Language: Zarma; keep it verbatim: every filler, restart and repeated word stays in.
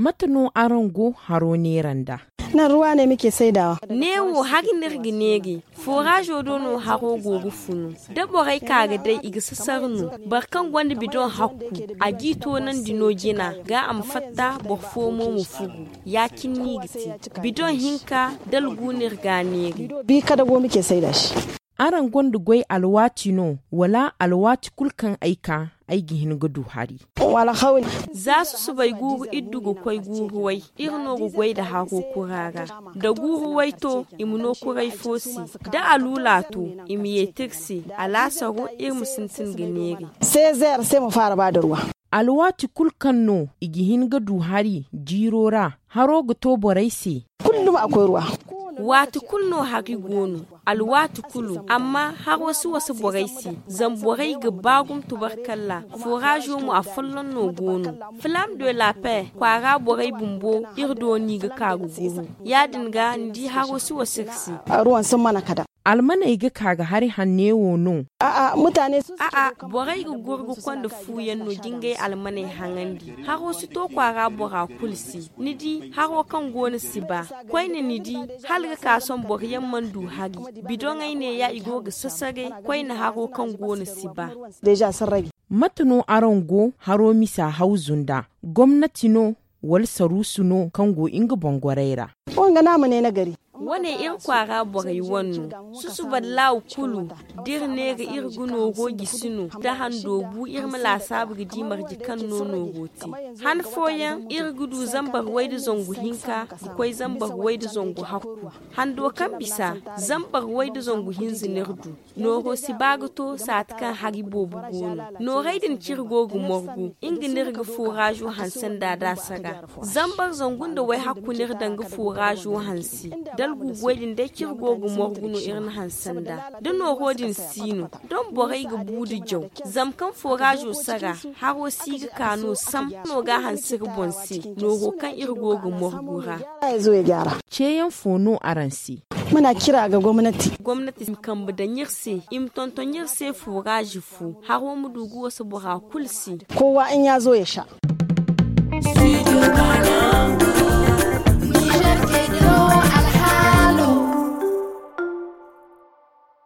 Mate no araŋ go haro neera nd'a? Nan ruwa ne muke saidawa. Neewo hari no iri ga neeri. Foraazo do no haro go ga funu. Da borey ka ga day i ga sasar no. Boro kaŋ gonda bidoŋ hakku, a g'i toonandi no jina ga a ma fatta, boro fo mo ma furu. Ya-cine no i ga te. Bidoŋ hinka, dalgu no iri ga a neeri. Bi kada go muke saida se. Araŋ gonda goy alwaati no, wala alwaati kulu kaŋ ay ka, ay ga hin ga du hari? Za susubay guuru iddu ga koy guuru way, iri no ga goy nda haro kura ra. Da guuru way to, i ma no kuray fo se. Da aluula to, i ma yeeti iri se. Alaasaro, iri ma sintin ga neeri. Seezeer se ma faara ba da ruwa. Alwaati kulu kaŋ no i ga hin ga du hari jiiro ra, haro ga to borey se. Waati kulu no hari go no, alwaati kulu, amma haro si wasa borey se. Zama borey ga ba gumo tubarkalla. Foraazo mo, afolloŋ no go no. Flam de la paix kwaara borey bumbo, iri do no i ga ka ga guru. Ya-din ga ni di haro si wasa iri se. Almaney ga ka ga hari hanne wo no? A'a, borey ga goro ga konda fuyaŋ no ga ngey almaney haŋandi. Haro si to kwaara bora kulu se. Ni di, haro kaŋ go no si ba. Koyne ni di, hala ga ka sohõ boro yaŋ mana du hari. Bidoŋey neeya i go ga sasare koyne haro kaŋ go no si ba. Mate no araŋ go haro misa hawzu nda? Gomnati no, wala saruusu no kaŋ go nga boŋ goray ra? Wane iri kwaara borey wane no. Susuba laaw kulu, da iri neera iri ga nooro gisi no, da hando bu iri ma laasaabu ga di marje kaŋ no nooro te. Han fooyaŋ iri ga du zambar way nda zangu hinka ga koy zambar way nda zangu hakku. Hando kaŋ bisa, zambar way nda zangu hinza no iri du. Nooro si ba ga to saati kaŋ hari boobo go no. Noorey din kaŋ iri go ga morgu, nga no iri ga foraazo hanse nd'a da a sara. Zambar zangu nda wayhakku no iri daŋ ga foraazo hanse. Dalgu goy din day kaŋ iri go ga morgu no iri na hanse nd'a. Da nooro din si no, doŋ borey ga bu nda jaw. Zama kaŋ foraazo sara, haro si ga ka no sam no ga a hanse iri boŋ se nooro kaŋ iri go ga morgu ra. Ceeyaŋ fo no araŋ se? Gomnati ma kambe daŋ iri se, i ma tonton iri se foraazi fo, haro ma du ga wasa bora kulu se. Kowa in ya zo ya sha.